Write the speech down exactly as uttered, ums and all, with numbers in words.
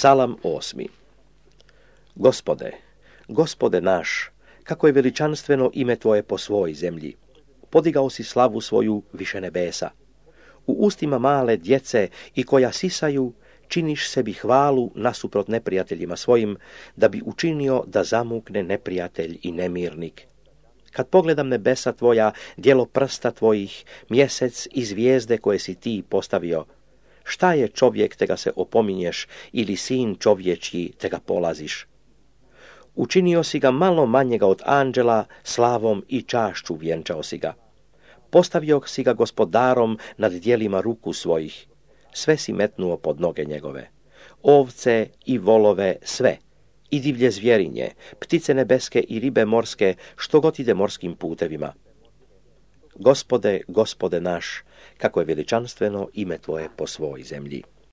Psalam osmi. Gospode, Gospode naš, kako je veličanstveno ime Tvoje po svoj zemlji. Podigao si slavu svoju više nebesa. U ustima male djece i koja sisaju, činiš sebi hvalu nasuprot neprijateljima svojim, da bi učinio da zamukne neprijatelj i nemirnik. Kad pogledam nebesa Tvoja, djelo prsta Tvojih, mjesec i zvijezde koje si Ti postavio, šta je čovjek te ga se opominješ ili sin čovječji te ga polaziš? Učinio si ga malo manjega od anđela, slavom i čašću vjenčao si ga. Postavio si ga gospodarom nad djelima ruku svojih, sve si metnuo pod noge njegove. Ovce i volove sve, i divlje zvjerinje, ptice nebeske i ribe morske, što god ide morskim putevima. Gospode, Gospode naš, kako je veličanstveno ime Tvoje po svoj zemlji.